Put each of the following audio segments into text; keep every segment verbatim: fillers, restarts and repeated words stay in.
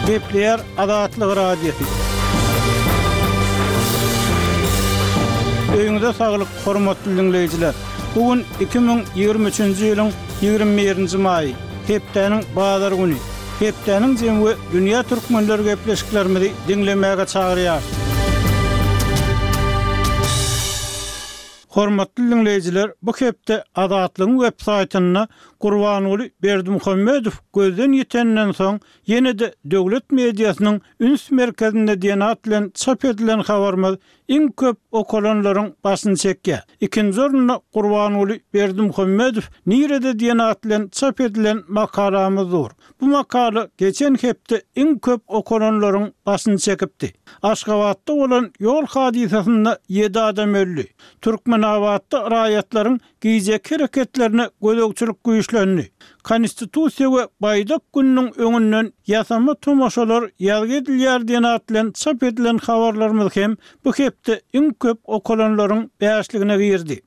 Gepleýär Azatlyk Radiosy. Öýüňize saglyk, hormatly diňleýjiler! Bu gün iki müň ýigrimi üçünji ýylyň ýigrimi birinji maýy, hepdäniň bazar güni. Hepdäniň jemi we dünýä türkmenleri gepleşiklerimizi diňlemäge çagyrýarys. Hormatly diňleýjiler, bu hepde Azatlygyň web saýtynda Gurbanguly Berdimuhamedow gözden ýitenden soň ýene-de döwlet mediasynyň üns merkezinde diýen at bilen çap edilen habarymyz iň köp okalanlaryň başyny çekýär. Ikinji orunda Gurbanguly Berdimuhamedow nirede diýen at bilen çap edilen makalamyz dur. Bu makala geçen hepde iň köp okalanlaryň başyny çekipdi. Aşgabatda bolan ýol hadysasynda ýedi adam öldi. Türkmenabatda raýatlaryň gijeki hereketlerine gözegçilik güýçlendi. Konstitusiýa we Baýdak gününiň öňünden ýasama tomaşalar ýazgy edilýär diýen at bilen çap edilen habarlarymyz hem bu hepde iň köp okalanlaryň bäşligine girdi.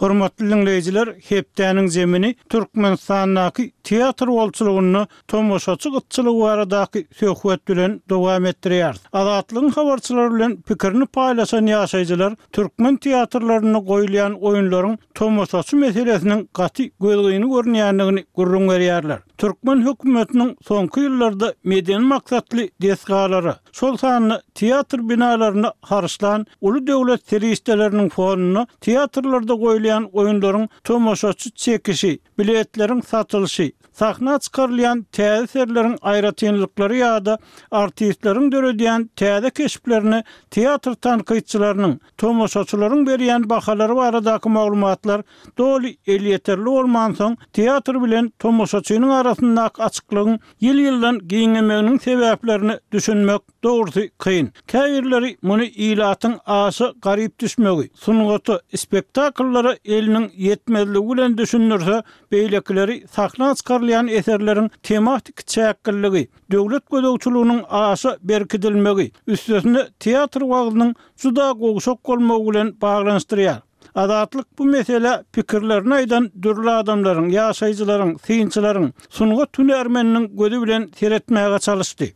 Hormatly diňleýjiler, hepdäniň zemini Türkmenistandaky teatr bolçulygynda tomaşaçy gytçylygy baradaky söhbet bilen dowam etdirýäris. Azatlygyň habarçylary bilen pikirini paýlaşan ýaşaýjylar türkmen teatrlarynda goýulýan oýunlaryň tomaşaçy meselesiniň gaty gözgyny görünýändigini gürrüň berýärler. Türkmen hökümetiniň soňky ýyllarda medeni maksatly desgalara, şol sanda teatr binalaryna harçlan uly döwlet serişdeleriniň fonunda teatrlarda goýulýan oýunlaryň tomaşaçy çekişi, biletleriň satylyşy, sahna çykarylýan täze eserleriň aýratynlyklary ýa-da artistleriň döredýän täze keşplerine teatr tankytçylarynyň, tomaşaçylaryň berýän bahalary baradaky maglumatlar doly elýeterli bolmansoň, teatr bilen tomaşaçynyň arasyndaky açyklygyň ýyl-ýyldan giňemeginiň sebäplerine düşünmek dogrusy kyn. Käbirleri muny ilatyň aşa garyp düşmegi, sungata, spektakllara eliniň ýetmezligi bilen düşündirse, beýlekileri sahna çykarylýan eserleriň tematik çäkliligi, döwlet gözegçiliginiň aşa berkidilmegi, üstesine teatr wagzynyň juda gowşak bolmagy bilen baglanyşdyrýar. Azatlyk bu meselä pikirlerini aýdan dürli adamlaryň, ýaşaýjylaryň, synçylaryň, sungat hünärmeniniň gözi bilen seretmäge çalyşdy.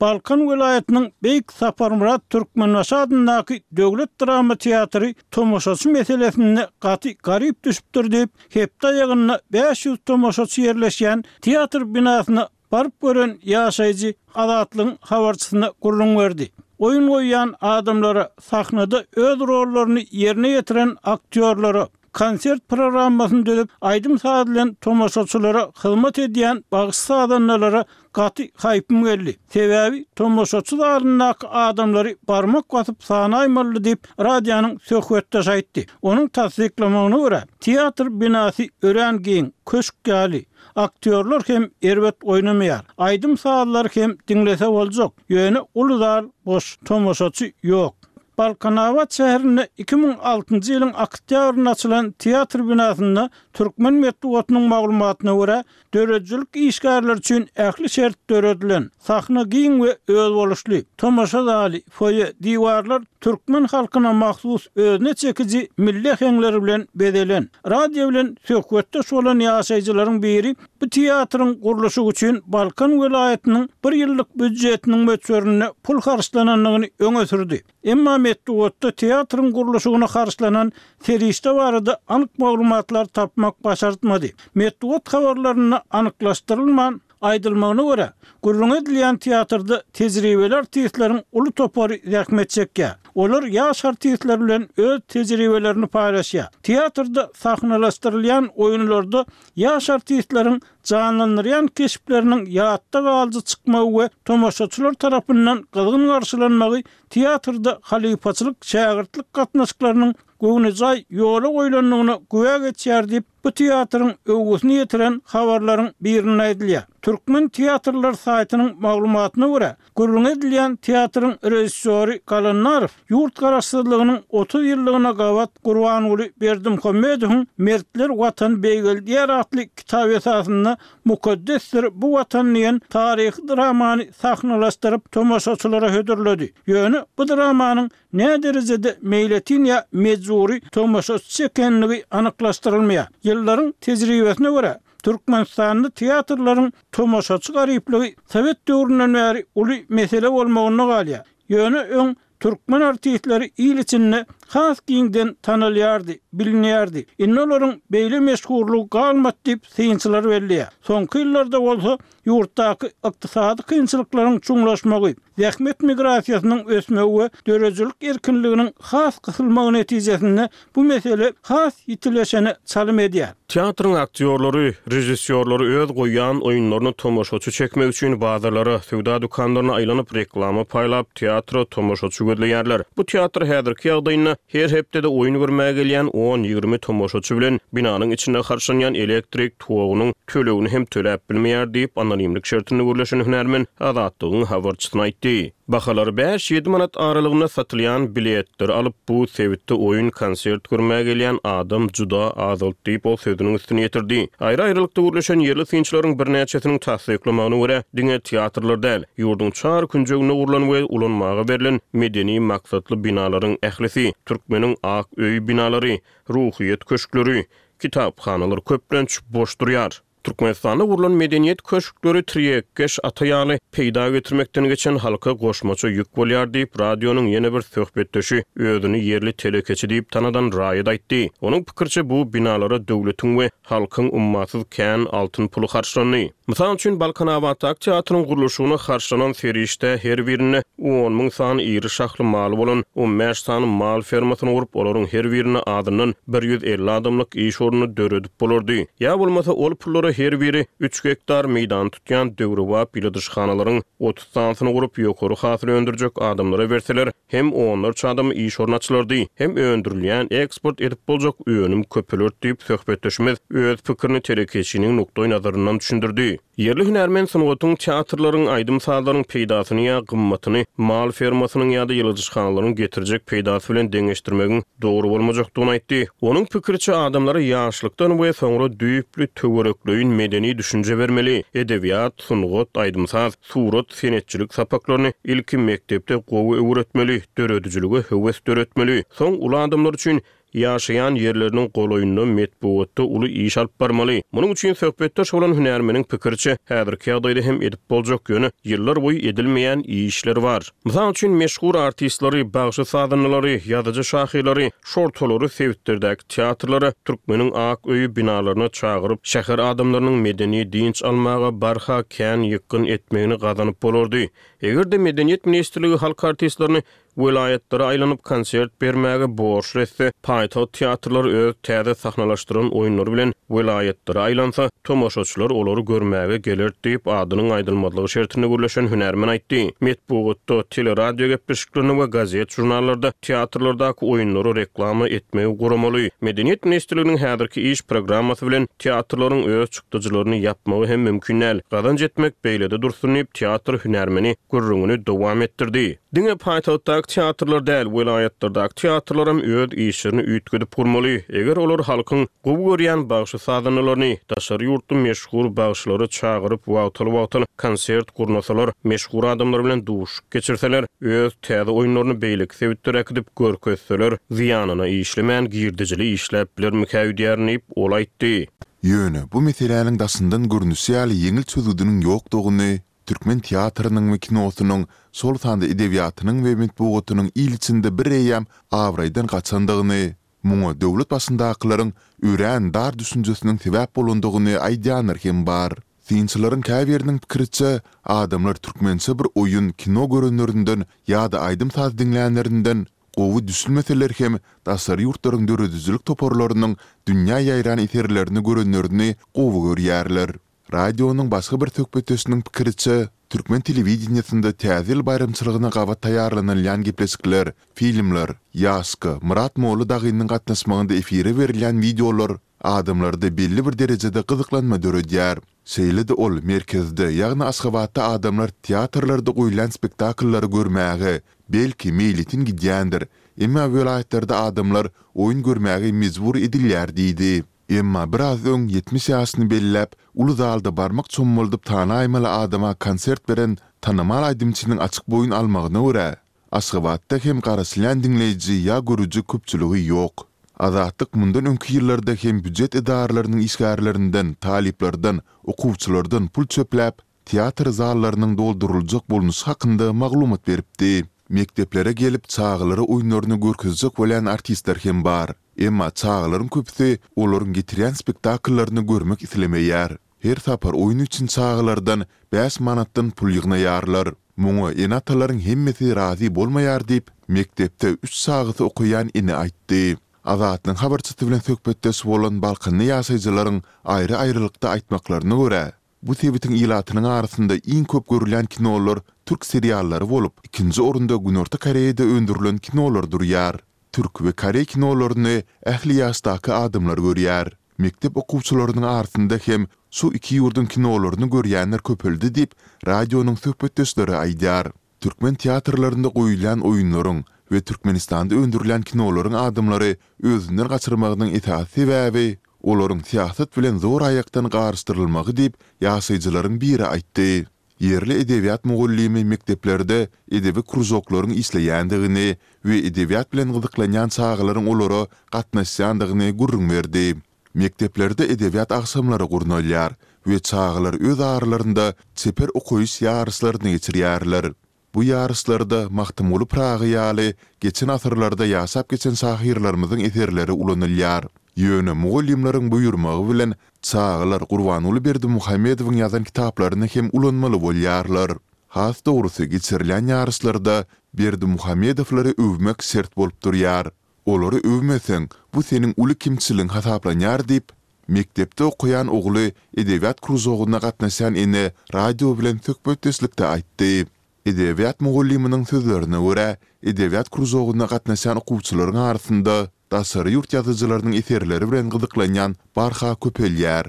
Balkan welaýatynyň Beýik Saparmyrat Türkmenbaşy adyndaky döwlet drama teatry tomaşaçy meselesinde gaty garyp düşüpdir diýip, hepde aýagynda bäş ýüz tomaşaçy ýerleşýän teatr binasyna Baryp gören ýaşaýjy Azatlygyň habarçysyna gürrüň berdi. Oýun goýýan adamlara, sahnada öz rollaryny ýerine ýetiren aktýorlara, konsert programmasyny düzüp, aýdym-saz bilen tomaşaçylara hyzmat edýän bagşy-sazandalara gaty haýpym geldi. Sebäbi tomaşaçy zalyndaky adamlary barmak basyp sanaýmalydy diýip, radionyň söhbetdeşi aýtdy. Onuň tassyklamagyna görä, teatr binasy örän giň, köşk ýaly. Aktýorlar hem erbet oýnamaýar. Aýdym-sazlary hem diňlese boljak. Ýöne uly zal boş, tomaşaçy ýok. Balkanabat şäherinde iki müň altynjy ýylyň oktýabrynda açylan teatr binasynda türkmen metbugatynyň maglumatyna görä, döredijilik işgärleri üçin ähli şert döredilen. Sahna giň we özboluşly. Tomaşa zaly, foýe, diwarlar türkmen halkyna mahsus özüne çekiji milli äheňler bilen bezelen. Radio bilen söhbetdeş bolan ýaşaýjylaryň biri bu teatryň gurluşygy üçin Balkan welaýatynyň bir ýyllyk býujetiniň möçberinde pul harçlanandygyny öňe sürdi. Emma metbugatda teatryň gurluşygyna harçlanan serişde barada anyk maglumatlar tapmak başartmady. Metbugat habarlarynda anyklaşdyrylman, Aýdylmagyna görä, gürrüňi edilýän teatrda tejribeli artistleriň uly topary zähmet çekýär. Olar ýaş artistler bilen öz tejribelerini paýlaşýar. Teatrda sahnalaşdyrylýan oýunlarda ýaş artistleriň janlandyrýan keşpleriniň ýatda galyjy çykmagy we tomaşaçylar tarapyndan gyzgyn garşylanmagy teatrda halypaçylyk-şägirtlik gatnaşyklarynyň göwnejaý ýola goýlandygyna güwä geçýär diýip, bu teatryň öwgüsini ýetiren habarlaryň birinde aýdylýar. Türkmen teatrlary saýtynyň maglumatyna görä, gürrüňi edilýän teatryň režissýory Galandarow ýurt garaşsyzlygynyň otuz ýyllygyna gabat Gurbanguly Berdimuhamedowyň Mertler Watany beýgeldýär atly kitaby esasynda Mukaddesdir bu Watan diýen taryhy dramany sahnalaşdyryp tomaşaçylara hödürledi. Ýöne bu dramanyň Näderejede meýletin ýa mejbury tomaşaçy çekenligi anyklaşdyrylmaýar. Ýyllaryň tejribesine görä, Türkmenistanda teatrlaryň tomaşaçy garyplygy sowet döwründen bäri uly mesele bolmagynda galýar. Ýöne öň türkmen artistleri il içinde has giňden tanalýardy, bilinýärdi. Indi olaryň beýle meşhurlygy galmady diýip, synçylar belleýär. Soňky ýyllarda bolsa ýurtdaky ykdysady kynçylyklaryň çuňlaşmagy, zähmet migrasiýasynyň ösmegi we döredijilik erkinliginiň has gysylmagy netijesinde bu mesele has ýitileşene çalym edýär. Teatryň aktýorlary, režissýorlary öz goýýan oýunlaryna tomaşaçy çekmek üçin bazarlara, söwda dükanlaryna aýlanyp reklama paýlap, teatra tomaşaçy gözleýärler. Bu teatr häzirki ýagdaýynda her hepdede oýun görmäge gelýän on-ýigrimi tomaşaçy bilen binanyň içinde harçlanýan elektrik togunyň tölegini hem töläp bilmeýär diýip, anonimlik şertinde gürleşen hünärmen Azatlygyň habarçysyna aýtdy. Bahalary bäş-ýedi manat aralygynda satylýan biletleri alyp, bu sebitde oýun, konsert görmäge gelýän adam juda azaldy diýip, ol sözüniň üstüni ýetirdi. Aýry-aýrylykda gürleşen ýerli synçylaryň birnäçesiniň tassyklamagyna görä, diňe teatrlar däl, ýurduň çar künjeginde gurlan we ulanmaga berlen medeni maksatly binalaryň ählisi, Türkmeniň ak öýi binalary, Ruhyýet köşkleri, kitaphanalar köplenç boş durýar. Türkmenistanda gurlan medeniýet köşkleri tirýekkeş ata ýaly peýda getirmekden geçen halka goşmaça ýük bolýar diýip, radionyň ýene bir söhbetdeşi özüni ýerli telekeçi diýip tanadan raýat aýtdy. Onuň pikiriçe, bu binalara döwletiň we halkyň ummasyz kän altyn puly harçlandy. Mysal üçin, Balkanabatdaky teatryň gurluşygyna harçlanan serişde her birinde on müň sany iri şahly maly bolan on bäş sany mal fermasyny gurup, olaryň her birinde azyndan bir ýüz elli adamlyk iş ornuny döredip bolardy. Ýa bolmasa ol pullara her biri üç gektar meýdany tutýan döwrebap ýyladyşhanalaryň otuz sanysyny gurup, ýokary hasyl öndürjek adamlara berseler, hem onlarça adama iş orny açylardy, hem öndürilýän, eksport edip boljak önüm köpelerdi diýip, söhbetdeşimiz öz pikirini telekeçiniň nukdaýnazaryndan düşündirdi. Ýerli hünärmen sungatyň, teatrlaryň, aýdym-sazlaryň peýdasyny ýa gymmatyny mal fermasynyň ýa-da ýyladyşhanalaryň getirjek peýdasy bilen deňeşdirmegiň dogry bolmajakdygyny aýtdy. Onuň pikiriçe, adamlara ýaşlykdan we soňra düýpli töwerekleýin medeni düşünje bermeli, edebiýat, sungat, aýdym-saz, surat, senetçilik sapaklaryny ilki mekdepde gowy öwretmeli, döredijilige höwes döretmeli, soň uly adamlar üçin ýaşaýan ýerleriniň golaýynda metbugatda uly iş alyp barmaly. Munuň üçin söhbetdeş bolan hünärmeniň pikiriçe, häzirki ýagdaýda hem edip boljak, ýöne ýyllar boýy edilmeýän işler bar. Mysal üçin, meşhur artistleri, bagşy-sazandalary, ýazyjy-şahyrlary, şortalary sebitlerdäki teatrlara, Türkmeniň ak öýi binalaryna çagyryp, şäher adamlarynyň medeni dynç almaga barha kän ýykgyn etmegini gazanyp bolardy. Eger-de Medeniýet ministrligi halk artistlerini welaýatlara aýlanyp konsert bermäge borçly etse, paýtagt teatrlary öz täze sahnalaşdyran oýunlary bilen welaýatlara aýlansa, tomaşaçylar olary görmäge geler diýip, adynyň aýdylmazlygy şertinde gürleşen hünärmen aýtdy. Metbugatda, teleradio gepleşiklerinde we gazet-žurnallarda teatrlardaky oýunlary reklama etmegi guramaly. Medeniýet ministrliginiň häzirki iş programmasy bilen teatrlaryň öz çykdajylaryny ýapmagy hem mümkin däl. Gazanç etmek beýlede dursun diýip, teatr hünärmeni gürrüňini dowam etdirdi. Diňe paýtagtdaky teatrlar däl, welaýatlardaky teatrlaram öz işlerini üýtgedip gurmaly. Eger olar halkyň gowy görýän bagşy-sazandalaryny, daşary ýurtly meşhur bagşylary çagyryp wagtal-wagtal konsert gurnasalar, meşhur adamlar bilen duşuşyk geçirseler, öz täze oýunlaryny beýleki sebitlere äkidip görkezseler, zyýanyna işlemän girdejili işläp bilermikä öýdýärin diýip, ol aýtdy. Ýöne bu meseläniň daşyndan görnüşi ýaly ýeňil çözgüdiniň ýokdugyny, türkmen teatrynyň we kinosynyň, şol sanda edebiýatynyň we metbugatynyň il içinde bireýýäm abraýdan gaçandygyny, muňa döwlet başyndakylaryň örän dar düşünjesiniň sebäp bolandygyny aýdýanlar hem bar. Synçylaryň käbiriniň pikiriçe, adamlar türkmençe bir oýun, kino görenlerinden ýa-da aýdym-saz diňlänlerinden gowy düşünmeseler hem daşary ýurtlaryň döredijilik toparlarynyň dünýä ýaýran eserlerini görenlerini gowy görýärler. Radionyň başga bir söhbetdeşiniň pikiriçe, türkmen telewideniýesinde Täze ýyl baýramçylygyna gabat taýýarlanylýan gepleşikler, filmler, Ýaşka, Myrat Molla dagynyň gatnaşmagynda efire berilýän wideolar adamlarda belli bir derejede gyzyklanma döredýär. Şeýle-de ol merkezde, ýagny Aşgabatda adamlar teatrlarda goýulýan spektakllary görmäge, belki, meýletin gidýändir, emma welaýatlarda adamlar oýun görmäge mejbur edilýär diýdi. Emma biraz öň ýetmiş ýaşyny belläp, uly zalda barmak çommaldyp tanaýmaly adama konsert beren tanymal aýdymçynyň açyk boýun almagyna görä, Aşgabatda hem garaşylýan diňleýji ýa görüji köpçüligi ýok. Azatlyk mundan öňki ýyllarda hem býujet edaralarynyň işgärlerinden, talyplardan, okuwçylardan pul çöpläp, teatr zallarynyň dolduryljak bolnuşy hakynda maglumat beripdi. Mekdeplere gelip, çagalara oýunlaryny görkezjek bolýan artistler hem bar. Emma çagalaryň köpüsi olaryň getirýän spektakllaryny görmek islemeýär. Her sapar oýun üçin çagalardan bäş manatdan pul ýygnaýarlar. Muňa ene-atalaryň hemmesi razy bolmaýar diýip, mekdepde üç çagasy okaýan ene aýtdy. Azatlygyň habarçysy bilen söhbetdeş bolan balkanly ýaşaýjylaryň aýry-aýrylykda aýtmaklaryna görä, bu sebitiň ilatynyň arasynda iň köp görülýän kinolar türk seriallary bolup, ikinji orunda Günorta Koreýada öndürilen kinolar durýar. Türk we koreý kinolaryny ähli ýaşdaky adamlar görýär. Mekdep okuwçylarynyň arasynda hem şu iki ýurduň kinolaryny görýänler köpeldi diýip, radionyň söhbetdeşleri aýdýar. Türkmen teatrlarynda goýulýan oýunlaryň we Türkmenistanda öndürilýän kinolaryň adamlary özünden gaçyrmagynyň esasy sebäbi, olaryň syýasat bilen zoraýakdan garyşdyrylmagy diýip, ýaşaýjylaryň biri aýtdy. Ýerli edebiýat mugallymy mekdeplerde edebi kružoklaryň işleýändigini we edebiýat bilen gyzyklanýan çagalaryň olara gatnaşýandygyny gürrüň berdi. Mekdeplerde edebiýat agşamlary gurnalýar we çagalar öz aralarynda çeper okaýyş ýaryşlaryny geçirýärler. Bu ýaryşlarda Magtymguly Pyragy ýaly geçen asyrlarda ýaşap geçen şahyrlarymyzyň eserleri ulanylýar. Ýöne mugallymlaryň buýurmagy bilen çagalar Gurbanguly Berdimuhamedowyň ýazan kitaplaryny hem ulanmaly bolýarlar. Has dogrusy geçirilýän ýaryşlarda Berdimuhamedowlary öwmek şert bolup durýar. Olary öwmeseň, bu seniň uly kemçiligiň hasaplanýar diýip, mekdepde okaýan ogly edebiýat kružogyna gatnaşýan ene radio bilen söhbetdeşlikde aýtdy. Edebiýat mugallymynyň sözlerine görä, edebiýat kružogyna gatnaşýan okuwçylaryň arasynda daşary ýurt ýazyjylarynyň eserleri bilen gyzyklanýan barha köpelýär.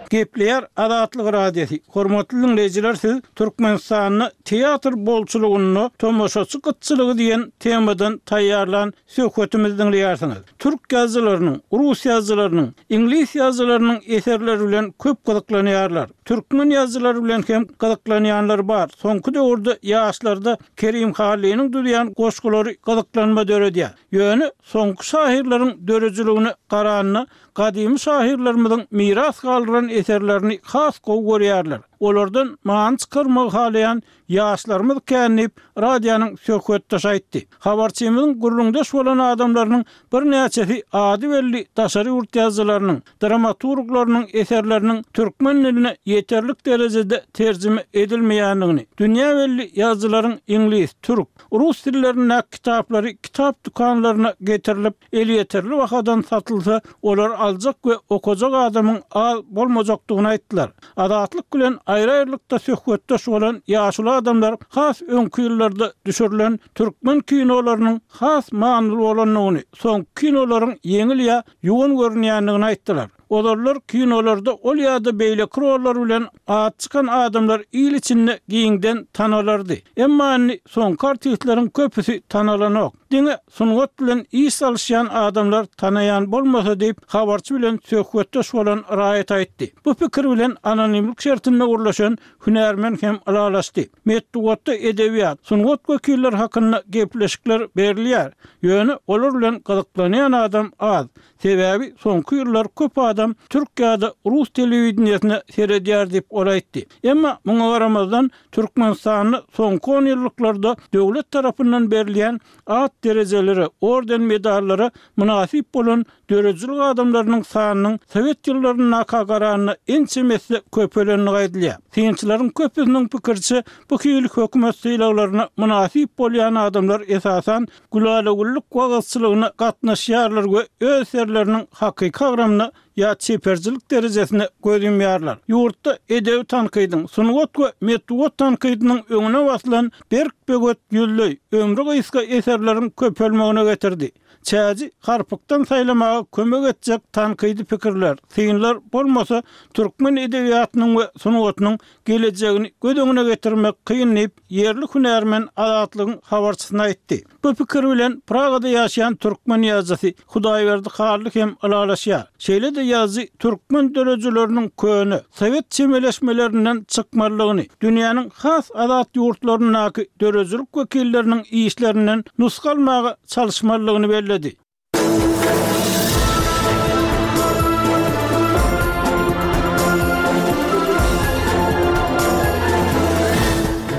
Gepleýär Azatlyk Radiosy, Hormatly diňleýjiler siz Türkmenistanda teatr bolçulygynda tomaşaçy gytçylygy diýen temadan taýýarlan söhbetimizi diňleýärsiňiz. Türk ýazyjylarynyň, rus ýazyjylarynyň, iňlis ýazyjylarynyň eserleri bilen köp gyzyklanýarlar. Türkmen ýazyjylary bilen hem gyzyklanýanlar bar. Soňky döwürde ýaşlarda Kerim Hallynyň düzýän goşgulary gyzyklanma döredýär. Ýöne soňky şahyrlaryň döredijiligine garanda gadymy şahyrlarymyzyň miras galdyran eserlerini has gowy görýärler. Olardan many çykarmagy halaýan Ýaşlarymyz kän diýip, radionyň söhbetdeşi aýtdy. Habarçymyzyň gürrüňdeş bolan adamlarynyň birnäçesi ady belli daşary ýurt ýazyjylarynyň, dramaturglarynyň eserleriniň türkmen diline ýeterlik derejede terjime edilmeýändigini, dünýä belli ýazyjylaryň iňlis, türk, rus dillerindäki kitaplary kitap dükanlaryna getirilip, elýeterli bahadan satylsa, olary aljak we okajak adamyň az bolmajakdygyny aýtdylar. Azatlyk bilen aýry-aýrylykda söhbetdeş bolan ýaşuly adamlar has öňki ýyllarda düşürilen türkmen kinolarynyň has manyly bolandygyny, soňky kinolaryň ýeňil ýa ýuwan görünýändigini aýtdylar. Ozallar kinolarda ol ýa-da beýleki rollar bilen ady çykan adamlar il içinde giňden tanalardy. Emma indi soňky artistleriň köpüsi tanalanok. Diňe sungat bilen iş salyşýan adamlar tanaýan bolmasa diýip, habarçy bilen söhbetdeş bolan raýat aýtdy. Bu pikir bilen anonimlik şertinde gürleşen hünärmen hem ylalaşdy. Metbugatda edebiýat, sungat wekilleri hakynda gepleşikler berilýär. Ýöne olar bilen gyzyklanýan adam az. Sebäbi soňky ýyllar köp adam türk ýa-da rus telewideniýesine seredýär diýip, ol aýtdy. Emma muňa garamazdan, Türkmenistanda soňky onýyllyklarda döwlet tarapyndan berilýän at derejelere, orden-medallara mynasyp bolan döredijilik adamlarynyň sanynyň sowet ýyllaryndaka garanda ençeme esse köpelendigi aýdylýar. Synçylaryň köpüsiniň pikiriçe, bu hili hökümet sylaglaryna mynasyp bolýan adamlar esasan gülala-güllük wagyzçylygyna gatnaşýarlar we öz eserleriniň hakyky agramyna ýa çeperçilik derejesine göz ýumýarlar. Ýurtda edebi tankydyň, sungat we metbugat tankydynyň öňüne basylan berk böwet ýüzleý, ömri gysga eserleriň köpelmegine getirdi. Çäji harpykdan saýlamaga kömek etjek tankydy pikirler, synlar bolmasa, türkmen edebiýatynyň we sungatynyň gelejegini göz öňüne getirmek kyn diýip, ýerli hünärmen Azatlygyň habarçysyna aýtdy. Bu pikir bilen Pragada ýaşaýan türkmen ýazyjysy Hudaýberdi Hally hem ylalaşýar. Şeýle-de ýazyjy türkmen döredijileriniň köne, sowet çemeleşmelerinden çykmalydygyny, dünýäniň has azat ýurtlaryndaky döredijilik wekilleriniň işlerinden nusga almaga çalyşmalydygyny belledi.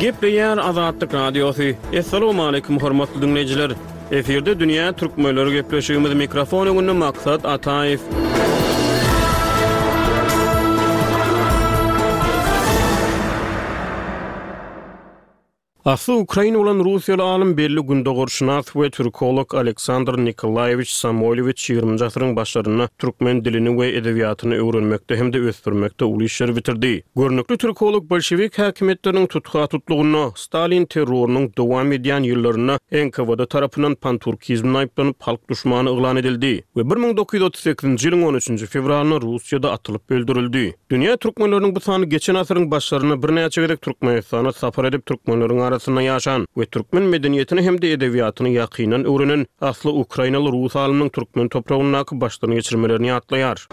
Gepleýär Azatlyk Radiosy. Assalamualaikum hormatly dinleýjiler. Efirde Dünýä Türkmenleri gepleşigimiz mikrofon öňünde Maksat Ataýew. Asly ukrain bolan russiýaly alym, belli gündogarşynas we türkolog Aleksandr Nikolaýewiç Samoýlowiç ýigriminji asyryň başlarynda türkmen dilini we edebiýatyny öwrenmekde hem-de ösdürmekde uly işleri bitirdi. Görnükli türkolog bolşewik häkimiýetleriniň tutha-tutlugynda, Stalin terrorynyň dowam edýän ýyllarynda N K W D tarapyndan panturkizmde aýyplanyp, halk duşmany yglan edildi we bir müň dokuz ýüz otuz sekizinji ýylyň on üçünji fewralynda Russiýada atylyp öldürildi. Dünýä türkmenleriniň bu sany geçen asyryň başlarynda birnäçe gezek Türkmenistana sapar edip, türkmenleriň arasynda ýaşan we türkmen medeniýetini hem-de edebiýatyny ýakyndan öwrenen asly ukrainaly rus alymynyň türkmen topragyndaky başdan geçirmelerini ýatlaýar.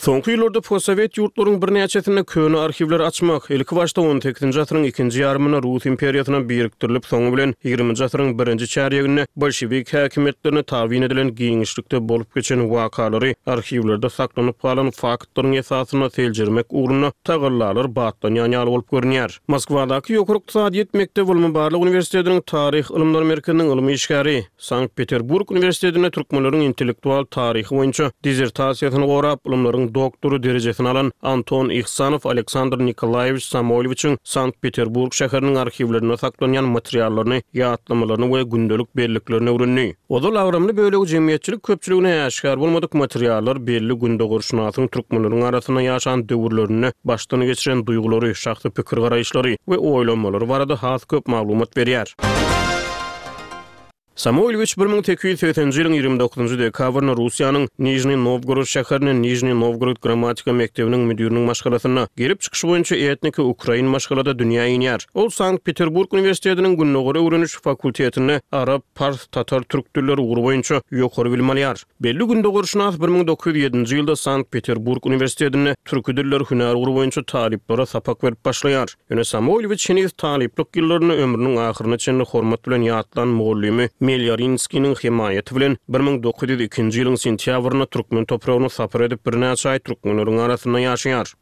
Soňky ýyllarda postsowet ýurtlaryň birnäçesinde köne arhiwleri açmak, ilki başda on sekizinji asyryň ikinji ýarymynda Rus imperiýasyna birikdirilip, soňy bilen ýigriminji asyryň birinji çärýeginde bolşewik häkimiýetlerine tabyn edilen giňişlikde bolup geçen wakalary arhiwlerde saklanyp galan faktlaryň esasynda seljermek ugrunda tagallalar batlanýan ýaly bolup görünýär. Moskwadaky Ýokary ykdysadyýet mekdebi ylmy-barlag uniwersitetiniň Taryh ylymlary merkeziniň ylmy işgäri, Sankt-Peterburg uniwersitetinde türkmenleriň intellektual taryhy boýunça dizertasiýasyny gorap, ylymlaryň doktory derejesini alan Anton Ihsanow Aleksandr Nikolaýewiç Samoýlowiçiň Sankt-Peterburg şäheriniň arhiwlerinde saklanýan materiallaryny, ýatlamalaryny we gündelik belliklerini öwrendi. Ozal agramly bölegi jemgyýetçilik köpçüligine äşgär bolmadyk materiallar belli gündogarşynasyň türkmenleriň arasynda ýaşan döwürlerinde başdan geçiren duýgulary, şahsy pikir-garaýyşlary we oýlanmalary barada has köp maglumat berýär. Samoýlowiç bir müň sekiz ýüz segseninji ýylyň ýigrimi dokuzynjy dekabrynda Russiýanyň Nižniý Nowgorod şäherinde Nižniý Nowgorod grammatika mekdebiniň müdiriniň maşgalasynda, gelip çykyşy boýunça etniki ukrain maşgalada dünýä inýär. Ol Sankt-Peterburg uniwersitetiniň Gündogar öwreniş fakultetinde arap, pars, tatar, türk dilleri ugry boýunça ýokary bilim alýar. Belli gündogarşynas bir müň dokuz ýüz ýedinji ýylda Sankt-Peterburg uniwersitetinde türki diller hünär ugry boýunça talyplara sapak berip başlaýar. Ýöne Samoýlowiç heniz talyplyk ýyllarynda ömrüniň ahyryna çenli hormat bilen ýatlan mugallymy Melýarinskiniň hemaýaty bilen bir müň dokuz ýüz ikinji ýylyň sentýabrynda türkmen topragyna sapar edip birnäçe aý türkmenleriň arasynda ýaşaýar.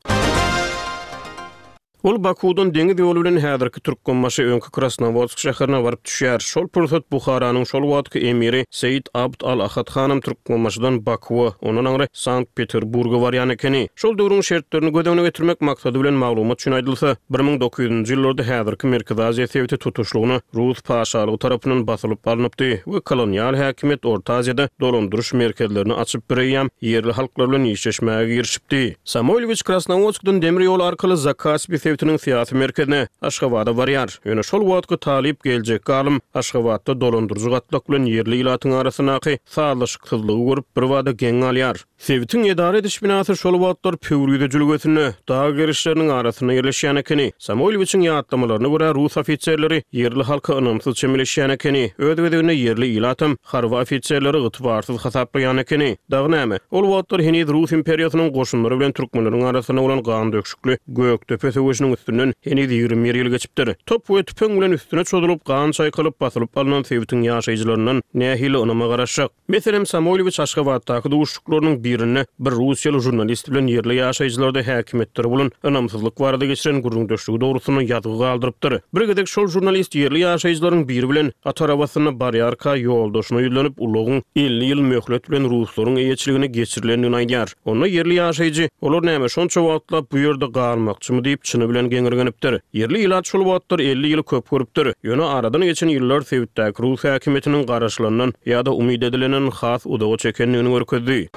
Ol Bakuwdan deňiz ýoly bilen häzirki Türkmenbaşy öňki Krasnowodsk şäherine baryp düşýär. Şol pursat Buharanyň şol wagtky emiri Seýit Abd al-Ahad hanam Türkmenbaşydan Bakuwa, ondan aňry Sankt-Peterburga barýan ekeni. Şol döwrüň şertlerini göz öňüne getirmek maksady bilen maglumat üçin aýdylsa, bir müň dokuz ýüzünji ýyllarda häzirki Merkezi Aziýa sebiti tutuşlygyna Rus paşalygy tarapyndan basylyp alnypdy we kolonial häkimiýet Orta Aziýada dolandyryş merkezlerini açyp bireýýäm ýerli halklar bilen işleşmäge girişipdi. Samoýlowiç Krasnowodskdan demir ýol arkaly Zakaspi sebitiniň syýasy merkezine, Aşgabada barýar. Ýöne şol wagtky talyp geljekki alym Aşgabatda dolandyryjy gatlak bilen ýerli ilatyň arasyndaky sazlaşyksyzlygy görüp birbada geň galýar. Sebitiň edara ediş binasy şol wagtlar Pöwrize jülgesinde, dag gerişleriniň arasynda ýerleşýän ekeni. Samoýlowiçiň ýatlamalaryna görä, rus ofiserleri ýerli halka ynamsyz çemeleşýän ekeni. Öz gezeginde ýerli ilatam harby ofiserleri ygtybarsyz hasaplaýan ekeni. Dagy näme? Ol wagtlar heniz Rus imperiýasynyň goşunlary bilen türkmenleriň arasynda bolan gandöküşikli Gökdepe söweşiniň üstünden heniz ýigrimi bir ýyl geçipdir. Top we tüpeň bilen üstüne çozulyp, gan çaýkalyp, basylyp alnan sebitiň ýaşaýjylaryndan nähili ynama garaşjak? Meselem, Samoýlowiç Aşgabatdaky duşuşyklarynyň birinde bir russiýaly žurnalist bilen ýerli ýaşaýjylarda häkimiýetlere bolan ynamsyzlyk barada geçiren gürrüňdeşligi dogrusynda ýazgy galdyrypdyr. Bir gezek şol žurnalist ýerli ýaşaýjylaryň biri bilen at arabasynda barýarka ýoldaşyna ýüzlenip, ulagyň elli ýyl möhlet bilen ruslaryň eýeçiligine geçirilendigini aýdýar. Onda ýerli ýaşaýjy, Olar näme, şonça wagtlap bu ýerde galmakçymy diýip, çyny bilen geňirgenipdir. Ýerli ilat şol wagtlar elli ýyly köp görüpdir. Ýöne aradan geçen ýyllar sebitdäki rus häkimiýetiniň garaşylandan ýa-da umyt edilenden has uzaga çekendigini görkezdi.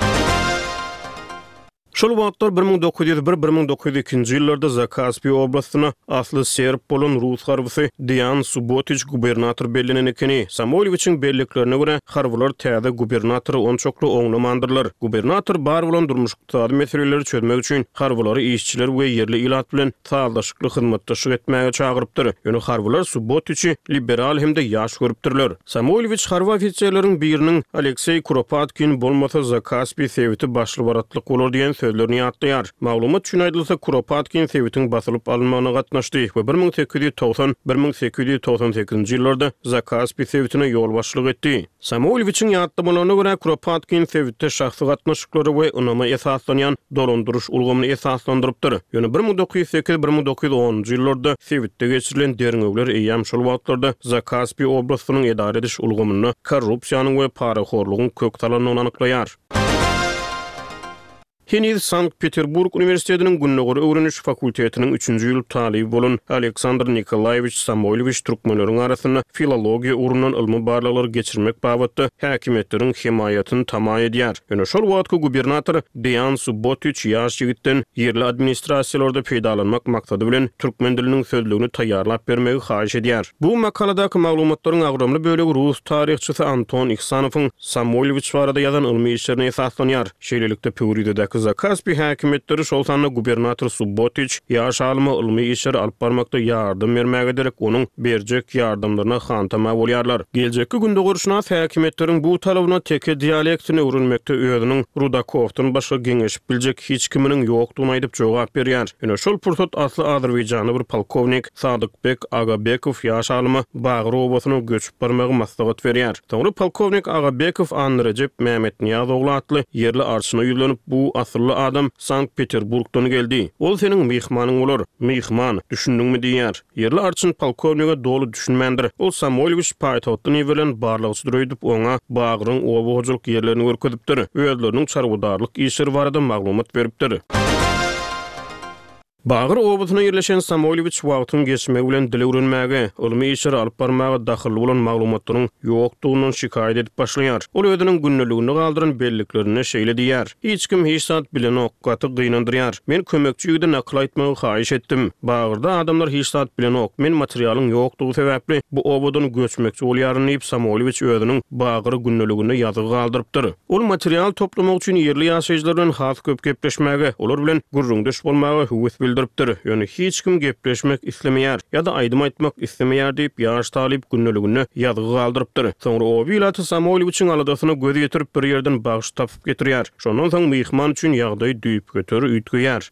Şol wagtlar bir müň dokuz ýüz bir, bir müň dokuz ýüz ikinji ýyllarda Zakaspi oblastyna asly serb bolan rus harbysy Deýan Subotiç gubernator bellenen ekeni. Samoýlowiçiň belliklerine görä, harbylar täze gubernatory onçakly oňlamandyrlar. Gubernator bar bolan durmuş-ykdysady meseleleri çözmek üçin harbylary işçiler we ýerli ilat bilen sazlaşykly hyzmatdaşlyk etmäge çagyrypdyr. Ýöne harbylar Subotiçi liberal hem-de ýaş görüpdirler. Samoýlowiç harby ofiserleriň biriniň Alekseý Kuropatkin bolmasa Zakaspi sebiti başly-baratlyk bolar diýen sözlerini ýatlaýar. Maglumat üçin aýdylsa, Kuropatkin sebitiň basylyp alynmagyna gatnaşdy we bir müň sekiz ýüz togsan, bir müň sekiz ýüz togsan sekizinji ýyllarda Zakaspi sebitine ýolbaşçylyk etdi. Samoýlowiçiň ýatlamalaryna görä, Kuropatkin sebitde şahsy gatnaşyklara we ynama esaslanýan dolandyryş ulgamyny esaslandyrypdyr. Ýöne bir müň dokuz ýüz sekiz, bir müň dokuz ýüz onunjy ýyllarda sebitde geçirilen derňewler eýýäm şol wagtlarda Zakaspi oblastynyň edara ediş ulgamynda korrupsiýanyň we parahorlugyň kök salandygyny anyklaýar. Heniz Sankt-Peterburg uniwersitetiniň Gündogar öwreniş fakultetiniň üçünji ýyl talyby bolan Aleksandr Nikolaýewiç Samoýlowiç türkmenleriň arasynda filologiýa ugrundan ylmy barlaglary geçirmek babatda häkimiýetleriň hemaýatyny tama edýär. Ýöne şol wagtky gubernator Deýan Subbotiç ýaş ýigitden ýerli administrasiýalarda peýdalanmak maksady bilen türkmen diliniň sözlügini taýýarlap bermegi haýyş edýär. Bu makaladaky maglumatlaryň agramly bölegi rus taryhçysy Anton Ihsanowyň Samoýlowiç barada ýazan ylmy işlerine esaslanýar. Şeýlelikde, Pöwrizedäki Zakaspi häkimiýetleri, şol sanda gubernator Subbotiç ýaş alyma ylmy işleri alyp barmakda ýardam bermäge derek, onuň berjek ýardamlaryna hantama bolýarlar. Geljekki gündogarşynas häkimiýetleriň bu talabyna teke dialektini öwrenmekde özüniň Rudakowdan başga geňeşip biljek hiç kiminiň ýokdugyny aýdyp jogap berýär. Ýöne şol pursat asly azerbaýjanly bir polkownik Sadykbek Agabekow ýaş alyma Bagyr obasyna göçüp barmagy maslahat berýär. Soňra polkownik Agabekow Annarejep Mämetnyýaz ogly atly ýerli arçyna ýüzlenip, bu asylly adam Sankt-Peterburgdan geldi. Ol seniň myhmanyň bolar. Myhman, düşündiňmi diýýär. Ýerli arçyn polkownige doly düşünmändir. Ol Samoýlowiç paýtagtdan iberilen barlagçydyr öýdüp, oňa Bagyryň oba hojalyk ýerlerini görkezipdir, özleriniň çarwadarlyk işleri barada maglumat beripdir. Bagyr obasyna ýerleşen Samoýlowiç wagtyň geçmegi bilen dil öwrenmäge, ylmy işleri alyp barmaga dahylly bolan maglumatlaryň ýokdugyndan şikaýat edip başlaýar. Ol özüniň gündeliginde galdyran belliklerinde şeýle diýýär, Hiç kim hiç zat bilenok, gaty gynandyrýar. Men kömekçi ýigide nakyl aýtmagy haýyş etdim. Bagyrda adamlar hiç zat bilenok. Men materialyň ýokdugy sebäpli bu obadan göçmekçi bolýaryn diýip, Samoýlowiç özüniň Bagyr gündeliginde ýazgy galdyrypdyr. Ol material toplamak üçin ýerli ýaşaýjylar bilen has köp gepleşmäge, olar bilen gürrüňdeş bolmaga höwes bildiripdir. Ýöne hiç kim gepleşmek islemeýär ýa-da aýdym aýtmak islemeýär diýip, ýaş talyp gündeliginde ýazgy galdyrypdyr. Soňra oba ilaty Samoýlowiçiň aladasyna göz ýetirip, bir ýerden bagşy tapyp getirýär. Şondan soň myhman üçin ýagdaý düýpgöter üýtgeýär.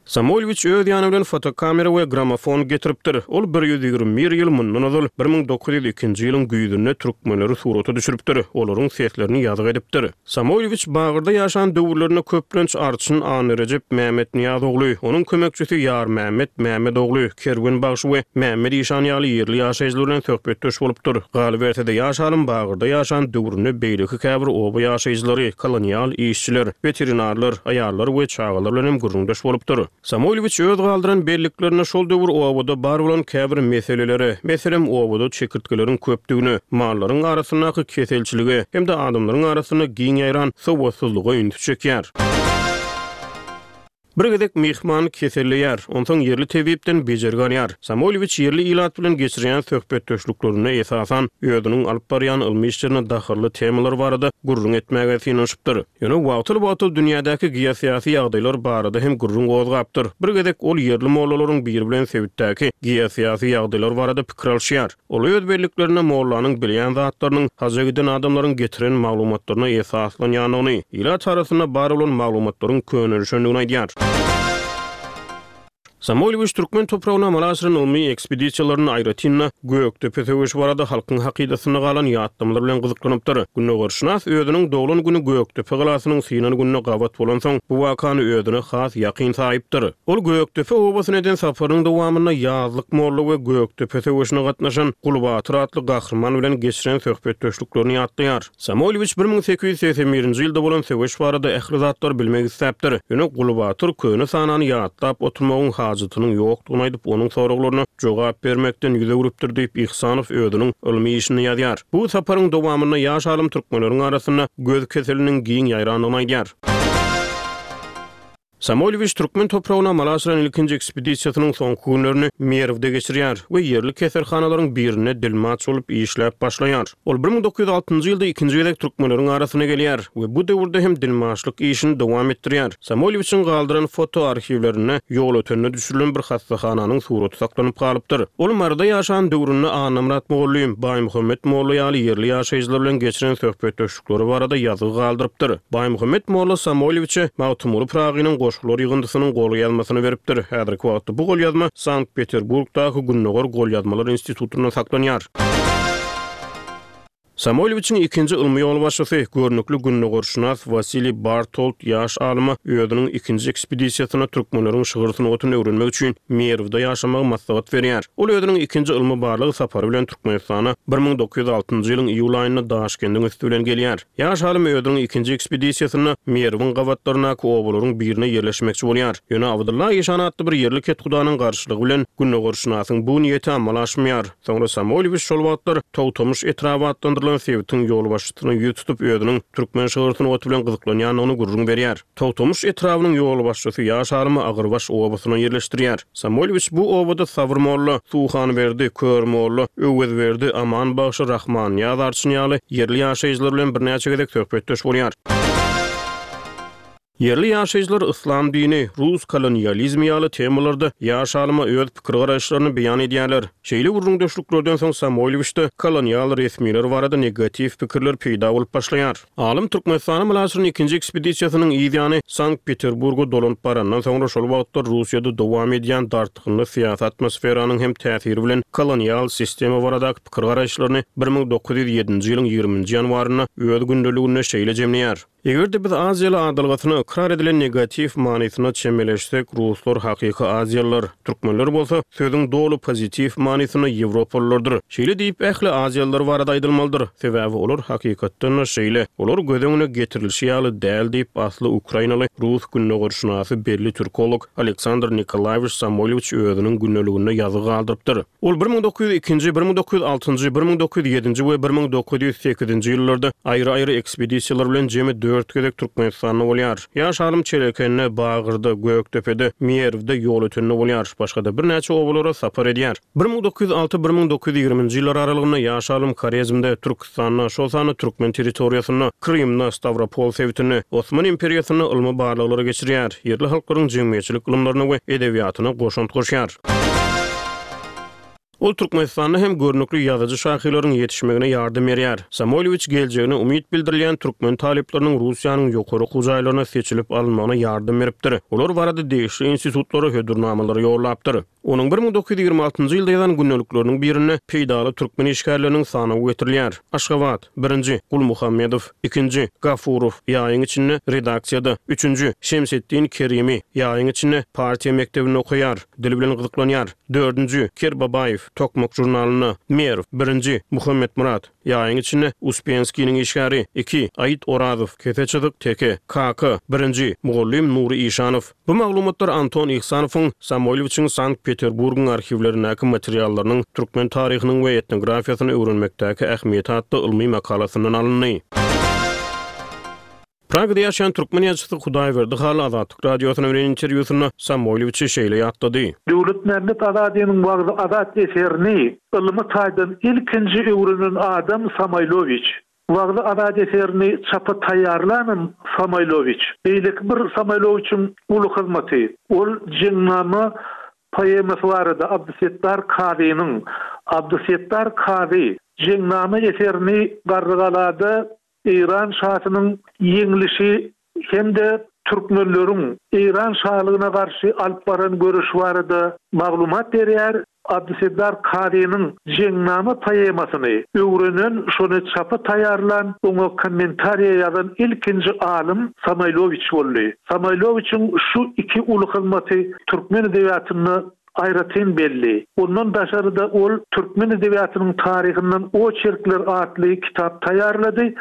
Samoýlowiç öz ýany bilen fotokamera we gramofon getiripdir. Ol bir ýüz ýigrimi bir ýyl mundan ozal, bir müň dokuz ýüz ikinji ýylyň güýzünde türkmenleri surata düşüripdir, olaryň seslerini ýazgy edipdir. Samoýlowiç Bagyrda ýaşan döwürlerinde köplenç arçyn Annarejep Mämmetnyýaz ogly, onuň kömekçisi Ýarmämmet Mämmet ogly, Kerwen bagşy we Mämmet işan ýaly ýerli ýaşaýjylar bilen söhbetdeş bolupdyr. Galyberse-de, ýaş alym Bagyrda ýaşan döwründe beýleki käbir oba ýaşaýjylary, kolonial işçiler, weterinarlar, aýallar we çagalar bilen hem gürrüňdeş bolupdyr. Samoýlowiç öz galdyran belliklerinde şol döwür obada bar bolan käbir meselelere, meselem, obada çekirtgeleriň köpdügine, mallaryň arasyndaky keselçilige hem-de adamlaryň arasynda giň ýaýran sowatsyzlyga ünsi çekýär. Bir gezek myhman keselleýär, onsoň ýerli tebipden bejergi alýar. Samoýlowiç ýerli ilat bilen geçirýän söhbetdeşliklerinde, esasan, özüniň alyp barýan ylmy işlerine dahylly temalar barada gürrüň etmäge synanyşypdyr. Ýöne wagtal-wagtal dünýädäki geosyýasy ýagdaýlar barada hem gürrüň gozgapdyr. Bir gezek ol ýerli mollalaryň biri bilen sebitdäki geosyýasy ýagdaýlar barada pikir alyşýar. Ol öz belliklerinde mollanyň bilýän zatlarynyň haja giden adamlaryň getiren maglumatlaryna esaslanýandygyny, ilat arasynda bar bolan maglumatlaryň könelişendigini aýdýar. Samoýlowiç türkmen topragyna amala aşyran ylmy ekspedisiýalarynda aýratyn-da Gökdepe söweşi barada halkyň hakydasynda galan ýatlamalar bilen gyzyklanypdyr. Gündogarşynas özüniň doglan güni Gökdepe galasynyň synan gününe gabat bolansoň, bu wakany özüne has ýakyn saýypdyr. Ol Gökdepe obasyna eden saparynyň dowamynda Ýazlyk molla we Gökdepe söweşine gatnaşan Gulbatyr atly gahryman bilen geçiren söhbetdeşliklerini ýatlaýar. Samoýlowiç bir müň sekiz ýüz segsen birinji ýylda bolan söweş barada ähli zatlary bilmek isläpdir. Ýöne Gulbatyr köne sanany ýatlap oturmagyň hajatynyň ýokdugyny aýdyp, onuň soraglaryna jogap bermekden ýüz öwrüpdir diýip, Ihsanow özüniň ylmy işinde ýazýar. Bu saparyň dowamynda ýaş alym türkmenleriň arasynda göz keseliniň giň ýaýrandygyny aýdýar. Samoýlowiç türkmen topragyna amala aşyran ilkinji ekspedisiýasynyň soňky günlerini Merwde geçirýär we ýerli keselhanalaryň birinde dilmaç bolup işläp başlaýar. Ol bir müň dokuz ýüz altynjy ýylda ikinji gezek türkmenleriň arasyna gelýär we bu döwürde hem dilmaçlyk işini dowam etdirýär. Samoýlowiçiň galdyran foto arhiwlerinde Ýolötende düşürilen bir hassahananyň suraty saklanyp galypdyr. Ol Maryda ýaşan döwründe Annamyrat mugallym, Baýmuhammet molla ýaly ýerli ýaşaýjylar bilen geçiren söhbetdeşlikleri barada ýazgy galdyrypdyr. Baýmuhammet molla Samoýlowiçe Magtymguly Pyragynyň goşgular ýygyndysynyň golýazmasyny beripdir. Häzirki wagtda bu golýazma Sankt-Peterburgdaky Gündogar golýazmalar institutynda saklanýar. Samoýlowiçiň ikinji ylmy ýolbaşçysy, görnükli gündogarşynas Wasiliý Bartold ýaş alyma özüniň ikinji ekspedisiýasynda türkmenleriň şygyr sungatyny öwrenmek üçin Merwde ýaşamagy maslahat berýär. Ol özüniň ikinji ylmy-barlag sapary bilen Türkmenistana bir müň dokuz ýüz altynjy ýylyň iýul aýynda Daşkendiň üsti bilen gelýär. Ýaş alym özüniň ikinji ekspedisiýasynda Merwiň gabatlaryndaky obalaryň birine ýerleşmekçi bolýar. Ýöne Abdylla işan atly bir ýerli kethudanyň garşylygy bilen gündogarşynasyň bu niýeti amala aşmaýar. Soňra Samoýlowiç şol wagtlar Togtamyş etraby atlandyrylan sebitiň ýolbaşçysyna ýüz tutup, özüniň türkmen şygyr sungaty bilen gyzyklanýandygyny gürrüň berýär. Togtamyş etrabynyň ýolbaşçysy ýaş alymy Agyrbaş obasyna ýerleşdirýär. Samoýlowiç bu obada Sabyr molla, Suhanberdi, Kör molla, Öwezberdi, Aman bagşy, Rahmannyýaz arçyn ýaly ýerli ýaşaýjylar bilen birnäçe gezek söhbetdeş bolýar. Ýerli ýaşaýjylar yslam dini, rus kolonializmi ýaly temalarda ýaş alyma öz pikir-garaýyşlaryny beýan edýärler. Şeýle gürrüňdeşliklerden soň Samoýlowiçde kolonial resmiler barada negatiw pikirler peýda bolup başlaýar. Alym Türkmenistana amala aşyran ikinji ekspedisiýasynyň yz ýany Sankt-Peterburga dolanyp barandan soňra şol wagtlar Russiýada dowam edýän dartgynly syýasy atmosferanyň hem täsiri bilen kolonial sistema baradaky pikir-garaýyşlaryny bir müň dokuz ýüz ýedinji ýylyň ýigriminji ýanwarynda öz gündeliginde şeýle jemleýär. Eger-de biz aziýaly adalgasyna ykrar edilen negatiw manysyna çemeleşsek, ruslar hakyky aziýalylar, türkmenler bolsa sözüň doly pozitiw manysynda ýewropalylardyr. Şeýle diýip, ähli aziýalylar barada aýdylmalydyr. Sebäbi olar hakykatdan-da şeýle. Olar göz öňüne getirilişi ýaly däl diýip, asly ukrainaly rus gündogarşynasy belli türkolog Aleksandr Nikolaýewiç Samoýlowiç özüniň gündeliginde ýazgy galdyrypdyr. Ol bir müň dokuz ýüz ikinji, bir müň dokuz ýüz altynjy, bir müň dokuz ýüz ýedinji we bir müň dokuz ýüz sekizinji ýyllarda aýry-aýry ekspedisiýalar bilen jemi dört gezek Türkmenistanda bolýar. Ýaş alym Çelekende, Bagyrda, Gökdepede, Merwde, Ýolötende bolýar. Başga-da birnäçe obalara sapar edýär. Bir müň dokuz ýüz alty, bir müň dokuz ýüz ýigriminji ýyllar aralygynda ýaş alym Horezmde, Türküstanda, şol sanda türkmen territoriýasynda, Krymda, Stawropol sebitinde, Osman imperiýasynda ylmy barlaglary geçirýär, ýerli halklaryň jemgyýetçilik ylymlaryna we edebiýatyna goşant goşýar. Ol Türkmenistanda hem görnükli ýazyjy-şahyrlaryň ýetişmegine ýardam berýär. Samoýlowiç geljegine umyt bildirilýän türkmen talyplarynyň Russiýanyň ýokary okuw jaýlaryna seçilip alynmagyna ýardam beripdir. Olar barada degişli institutlara hödürnamalary ýollapdyr. Onuň bir müň dokuz ýüz ýigrimi altynjy ýylda ýazan gündelikleriniň birinde peýdaly türkmen işgärleriniň sanawy getirilýär. Aşgabat, birinji, Gulmuhammedow, ikinji, Gafurow, ýaýyň içinde, redaksiýada, üçünji, Şemsetdin Kerimi, ýaýyň içinde, partiýa mekdebinde okaýar, dil bilen gyzyklanýar, dördünji, Kerbabaýew, Tokmak žurnalynda, Merw, birinji, Muhammetmyrat, ýaýyň içinde, Uspenskiniň işgäri, iki, Aýyt Orazow, kese çyzyk, Teke, Kaka, birinji, mugallym Nury Işanow. Bu maglumatlar Anton Ihsanowyň Samoýlowiçiň Sankt-Peterburgyň arhiwlerindäki materiallarynyň türkmen taryhynyň we etnografiýasyny öwrenmekdäki ähmiýeti atly ylmy makalasyndan alyndy. Pragada ýaşaýan türkmen ýazyjysy Hudaýberdi Hally Azatlyk Radiosyna beren interwýusynda Samoýlowiçi şeýle ýatlady. Döwletmämmet Azadynyň Wagzy-Azat eserini ylmy taýdan ilkinji öwrenen adam Samoýlowiç. Wagzy-Azat eserini çapa taýýarlanam Samoýlowiç. Beýleki bir Samoýlowiçiň uly hyzmaty, ol Jeňnama poemasy barada Abdysetdar Kazynyň, Abdysetdar Kazy, Jeňnama eserini Garrygalada Eýran şasynyň ýeňlişi hem-de türkmenleriň Eýran şalygyna garşy alyp baran göreşi barada maglumat berýär. Abdysetdar Kazynyň Jeňnama poemasyny öwrenen, şony çapa taýýarlan, oňa kommentariýa ýazan ilkinji alym Samoýlowiç boldy. Samoýlowiçiň şu iki uly hyzmaty türkmen edebiýatynda aýratyn belli. Ondan daşary-da ol Türkmen edebiýatynyň taryhyndan oçerkler atly kitap taýýarlady.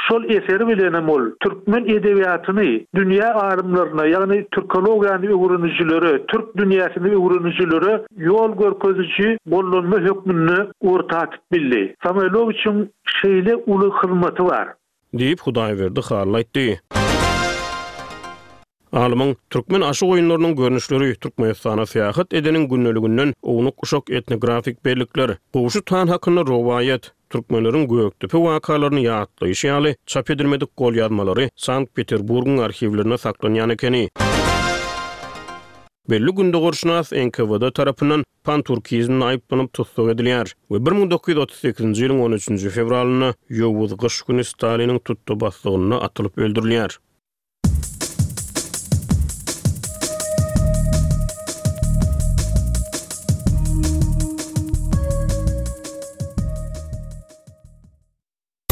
Şol eseri bilenem ol türkmen edebiýatyny dünýä alymlaryna, ýagny türkologiýany öwrenijilere, türk dünýäsini öwrenijilere ýol görkeziji gollanma hökmünde orta atyp bildi. Samoýlowiçiň şeýle uly hyzmaty bar. Diýip, Hudaýberdi Hally aýtdy. Alymyň Türkmen aşyk oýunlarynyň görnüşleri, Türkmenistana syýahat edeniň gündeliginden ownuk-uşak etnografik bellikler, Gowşut han hakynda rowaýat, Türkmenleriň Gökdepe wakalaryny ýatlaýşy ýaly çap edilmedik golýazmalary Sankt-Peterburgyň arhiwlerinde saklanýan ekeni. Belli gündogarşynas NKWD tarapyndan panturkizmde aýyplanyp tussag edilýär we bir müň dokuz ýüz otuz sekizinji ýylyň on üçünji fewralynda ýowuz gyş güni Staliniň tutda-baslygynda atylyp öldürilýär.